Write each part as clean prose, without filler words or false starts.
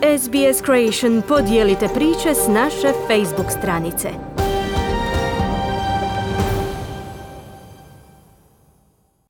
SBS Creation podijelite priče s naše Facebook stranice.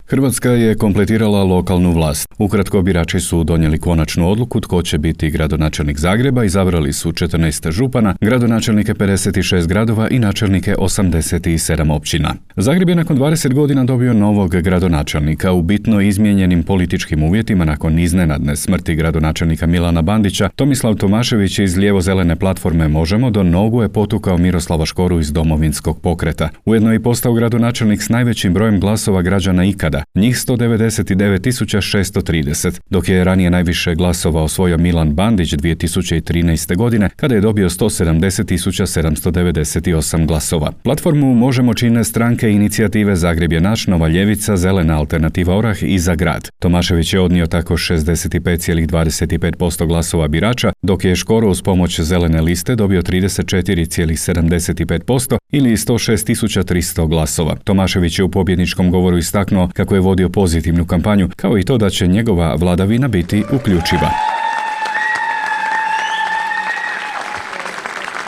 Hrvatska je kompletirala lokalnu vlast. Ukratko, birači su donijeli konačnu odluku tko će biti gradonačelnik Zagreba, izabrali su 14 župana, gradonačelnike 56 gradova i načelnike 87 općina. Zagreb je nakon 20 godina dobio novog gradonačelnika u bitno izmijenjenim političkim uvjetima nakon iznenadne smrti gradonačelnika Milana Bandića. Tomislav Tomašević iz lijevo-zelene platforme Možemo do nogu je potukao Miroslava Škoru iz Domovinskog pokreta. Ujedno je postao gradonačelnik s najvećim brojem glasova građana ikada, njih 199.630, dok je ranije najviše glasova osvojio Milan Bandić 2013. godine, kada je dobio 170.798 glasova. Platformu Možemo čine stranke Inicijative Zagreb je naš, Nova ljevica, Zelena alternativa Orah i Za grad. Tomašević je odnio tako 65,25% glasova birača, dok je Škoro uz pomoć Zelene liste dobio 34,75% ili 106.300 glasova. Tomašević je u pobjedničkom govoru istaknuo kako je vodio pozitivnu kampanju, kao i to da će njegova vladavina biti uključiva.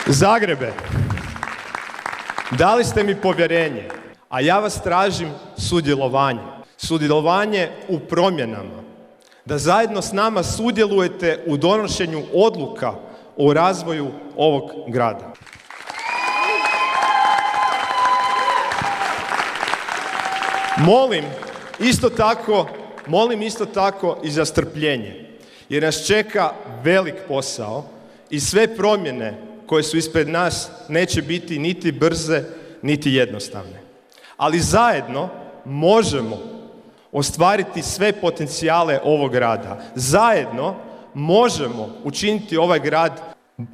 Zagrebe, dali ste mi povjerenje, a ja vas tražim sudjelovanje. Sudjelovanje u promjenama. Da zajedno s nama sudjelujete u donošenju odluka o razvoju ovog grada. Molim isto tako i za strpljenje, jer nas čeka velik posao i sve promjene koje su ispred nas neće biti niti brze, niti jednostavne. Ali zajedno možemo ostvariti sve potencijale ovog grada. Zajedno možemo učiniti ovaj grad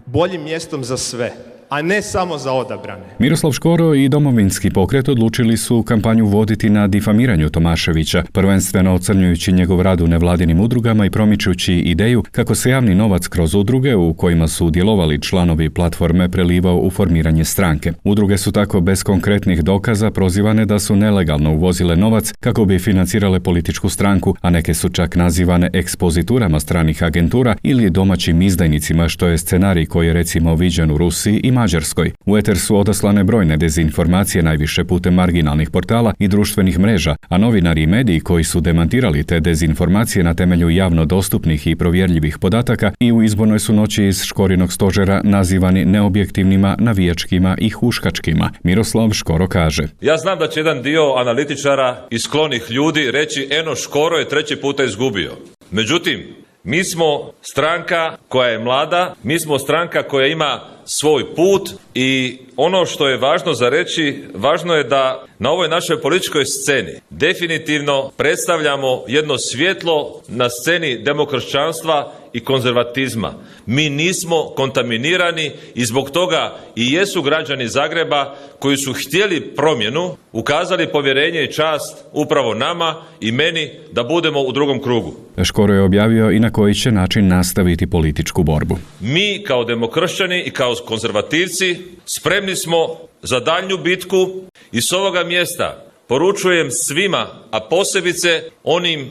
boljim mjestom za sve, a ne samo za odabrane. Miroslav Škoro i Domovinski pokret odlučili su kampanju voditi na difamiranju Tomaševića, prvenstveno ocrnjujući njegov rad u nevladinim udrugama i promičući ideju kako se javni novac kroz udruge u kojima su djelovali članovi platforme prelivao u formiranje stranke. Udruge su tako bez konkretnih dokaza prozivane da su nelegalno uvozile novac kako bi financirale političku stranku, a neke su čak nazivane ekspoziturama stranih agentura ili domaćim izdajnicima, što je scenarij koji je recimo viđen u Rusiji i Mađarskoj. U eter su odaslane brojne dezinformacije, najviše putem marginalnih portala i društvenih mreža, a novinari i mediji koji su demantirali te dezinformacije na temelju javno dostupnih i provjerljivih podataka i u izbornoj su noći iz Škorinog stožera nazivani neobjektivnima, navijačkima i huškačkima. Miroslav Škoro kaže: Ja znam da će jedan dio analitičara i sklonih ljudi reći eno Škoro je 3. puta izgubio. Međutim, mi smo stranka koja je mlada, mi smo stranka koja ima svoj put i ono što je važno za reći, važno je da na ovoj našoj političkoj sceni definitivno predstavljamo jedno svjetlo na sceni demokršćanstva i konzervatizma. Mi nismo kontaminirani i zbog toga i jesu građani Zagreba koji su htjeli promjenu, ukazali povjerenje i čast upravo nama i meni da budemo u drugom krugu. Škoro je objavio i na koji će način nastaviti političku borbu. Mi kao demokršćani i kao konzervativci spremni smo za daljnju bitku i s ovoga mjesta poručujem svima, a posebice onim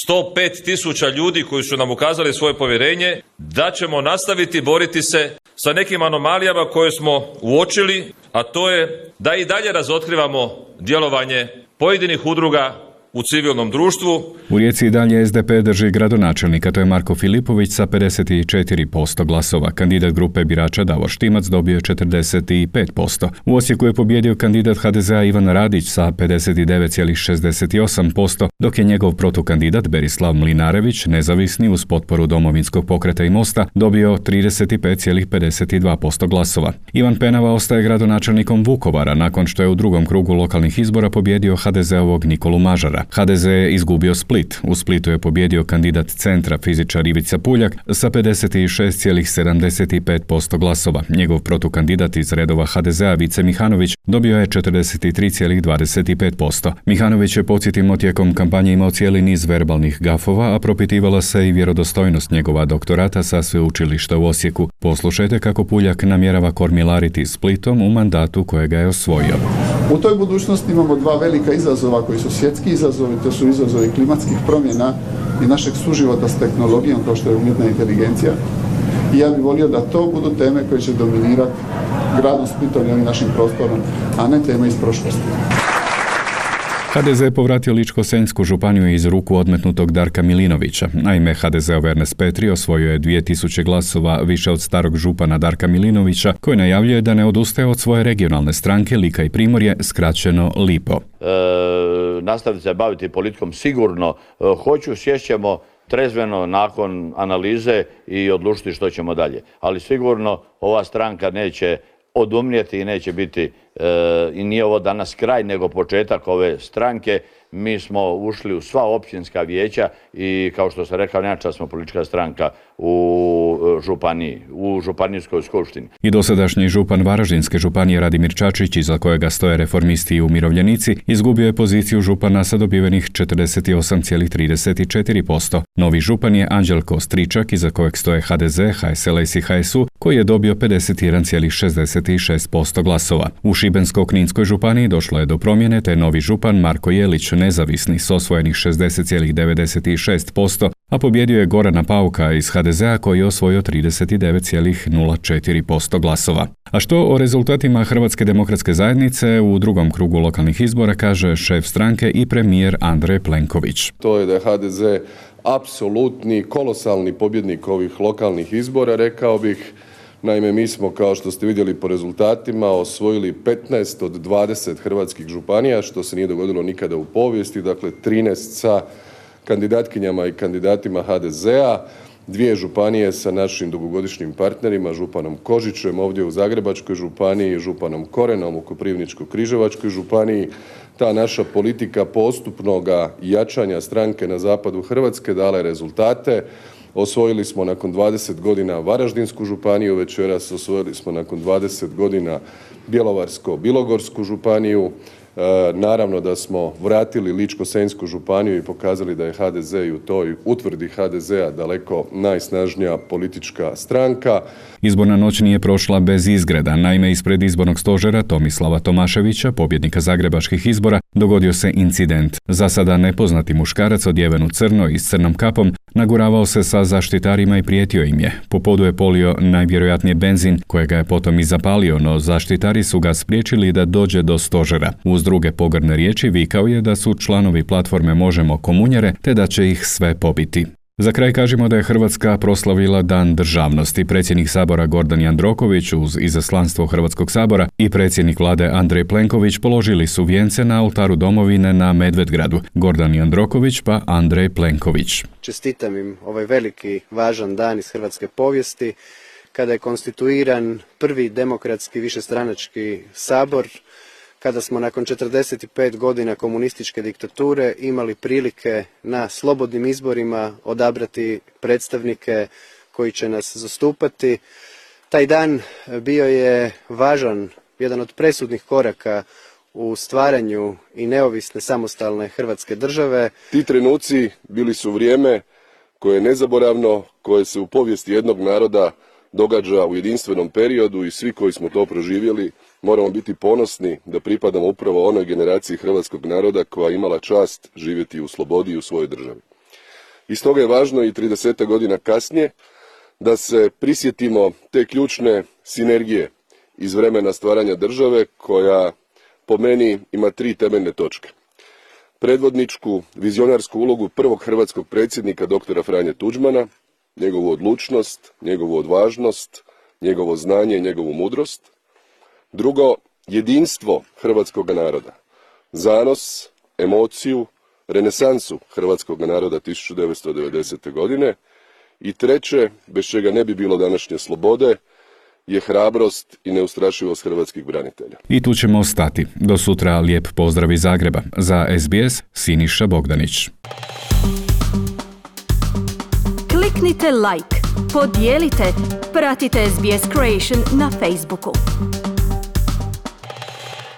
105.000 ljudi koji su nam ukazali svoje povjerenje, da ćemo nastaviti boriti se sa nekim anomalijama koje smo uočili, a to je da i dalje razotkrivamo djelovanje pojedinih udruga u civilnom društvu. U Rijeci i dalje SDP drži gradonačelnika, to je Marko Filipović sa 54% glasova. Kandidat grupe birača Davor Štimac dobio je 45%. U Osijeku je pobjedio kandidat HDZ-a Ivan Radić sa 59,68%, dok je njegov protukandidat Berislav Mlinarević, nezavisni uz potporu Domovinskog pokreta i Mosta, dobio 35,52% glasova. Ivan Penava ostaje gradonačelnikom Vukovara nakon što je u drugom krugu lokalnih izbora pobjedio HDZ-ovog Nikolu Mažara. HDZ je izgubio Split. U Splitu je pobjedio kandidat Centra fizičar Ivica Puljak sa 56,75% glasova. Njegov protukandidat iz redova HDZ-a Vice Mihanović dobio je 43,25%. Mihanović je, podsjetimo, tijekom kampanje imao cijeli niz verbalnih gafova, a propitivala se i vjerodostojnost njegova doktorata sa sveučilišta u Osijeku. Poslušajte kako Puljak namjerava kormilariti Splitom u mandatu kojega je osvojio. U toj budućnosti imamo dva velika izazova koji su svjetski izazovi, to su izazovi klimatskih promjena i našeg suživota s tehnologijom kao što je umjetna inteligencija. I ja bih volio da to budu teme koje će dominirati gradom Splitom i ovim našim prostorom, a ne teme iz prošlosti. HDZ je povratio Ličko-senjsku županiju iz ruku odmetnutog Darka Milinovića. Naime, HDZ-ov Ernest Petri osvojio je 2000 glasova više od starog župana Darka Milinovića, koji najavljuje da ne odustaje od svoje regionalne stranke Lika i Primorje, skraćeno LIPO. Nastaviti se baviti politikom sigurno hoću, sješćemo trezveno nakon analize i odlučiti što ćemo dalje. Ali sigurno ova stranka neće odumrijeti i neće biti, i nije ovo danas kraj, nego početak ove stranke. Mi smo ušli u sva općinska vijeća i, kao što sam rekao, najjača smo politička stranka u županiji, u županijskoj skupštini. I dosadašnji župan Varaždinske županije Radimir Čačić, iza kojega stoje reformisti i umirovljenici, izgubio je poziciju župana sa dobivenih 48,34%. Novi župan je Anđelko Stričak, iza kojeg stoje HDZ, HSLS i HSU, koji je dobio 51,66% glasova. U Šibensko-kninskoj županiji došlo je do promjene, te novi župan Marko Jelić, nezavisni, s osvojenih 60,96%, a pobjedio je Gorana Pauka iz HDZ-a koji je osvojio 39,04% glasova. A što o rezultatima Hrvatske demokratske zajednice u drugom krugu lokalnih izbora kaže šef stranke i premijer Andrej Plenković. To je da je HDZ apsolutni, kolosalni pobjednik ovih lokalnih izbora, rekao bih. Naime, mi smo, kao što ste vidjeli po rezultatima, osvojili 15 od 20 hrvatskih županija, što se nije dogodilo nikada u povijesti, dakle 13 sa kandidatkinjama i kandidatima HDZ-a, 2 županije sa našim dugogodišnjim partnerima, županom Kožićem ovdje u Zagrebačkoj županiji, županom Korenom u Koprivničko-križevačkoj županiji. Ta naša politika postupnoga jačanja stranke na zapadu Hrvatske dala je rezultate. Osvojili smo nakon 20 godina Varaždinsku županiju, večeras osvojili smo nakon 20 godina Bjelovarsko-bilogorsku županiju. Naravno da smo vratili Ličko-senjsku županiju i pokazali da je HDZ i u toj utvrdi HDZ-a daleko najsnažnija politička stranka. Izborna noć nije prošla bez izgreda. Naime, ispred izbornog stožera Tomislava Tomaševića, pobjednika zagrebačkih izbora, dogodio se incident. Za sada nepoznati muškarac odjeven u crno i s crnom kapom naguravao se sa zaštitarima i prijetio im je. Po podu je polio najvjerojatnije benzin, kojega je potom i zapalio, no zaštitari su ga spriječili da dođe do stožera. Uz druge pogrdne riječi vikao je da su članovi platforme Možemo komunjare, te da će ih sve pobiti. Za kraj kažemo da je Hrvatska proslavila Dan državnosti. Predsjednik Sabora Gordan Jandroković uz izaslanstvo Hrvatskog sabora i predsjednik vlade Andrej Plenković položili su vijence na oltaru domovine na Medvedgradu. Gordan Jandroković pa Andrej Plenković. Čestitam im ovaj veliki, važan dan iz hrvatske povijesti, kada je konstituiran prvi demokratski višestranački sabor, kada smo nakon 45 godina komunističke diktature imali prilike na slobodnim izborima odabrati predstavnike koji će nas zastupati. Taj dan bio je važan, jedan od presudnih koraka u stvaranju i neovisne samostalne Hrvatske države. Ti trenuci bili su vrijeme koje je nezaboravno, koje se u povijesti jednog naroda događa u jedinstvenom periodu i svi koji smo to proživjeli moramo biti ponosni da pripadamo upravo onoj generaciji hrvatskog naroda koja je imala čast živjeti u slobodi i u svojoj državi. I stoga je važno i 30 godina kasnije da se prisjetimo te ključne sinergije iz vremena stvaranja države koja po meni ima 3 temeljne točke. Predvodničku, vizionarsku ulogu prvog hrvatskog predsjednika dr. Franje Tuđmana, njegovu odlučnost, njegovu odvažnost, njegovo znanje i njegovu mudrost. Drugo, jedinstvo hrvatskog naroda, zanos, emociju, renesansu hrvatskog naroda 1990. godine. I treće, bez čega ne bi bilo današnje slobode, je hrabrost i neustrašivost hrvatskih branitelja. I tu ćemo stati. Do sutra lijep pozdrav iz Zagreba. Za SBS, Siniša Bogdanić. Kliknite like, podijelite, pratite SBS Creation na Facebooku.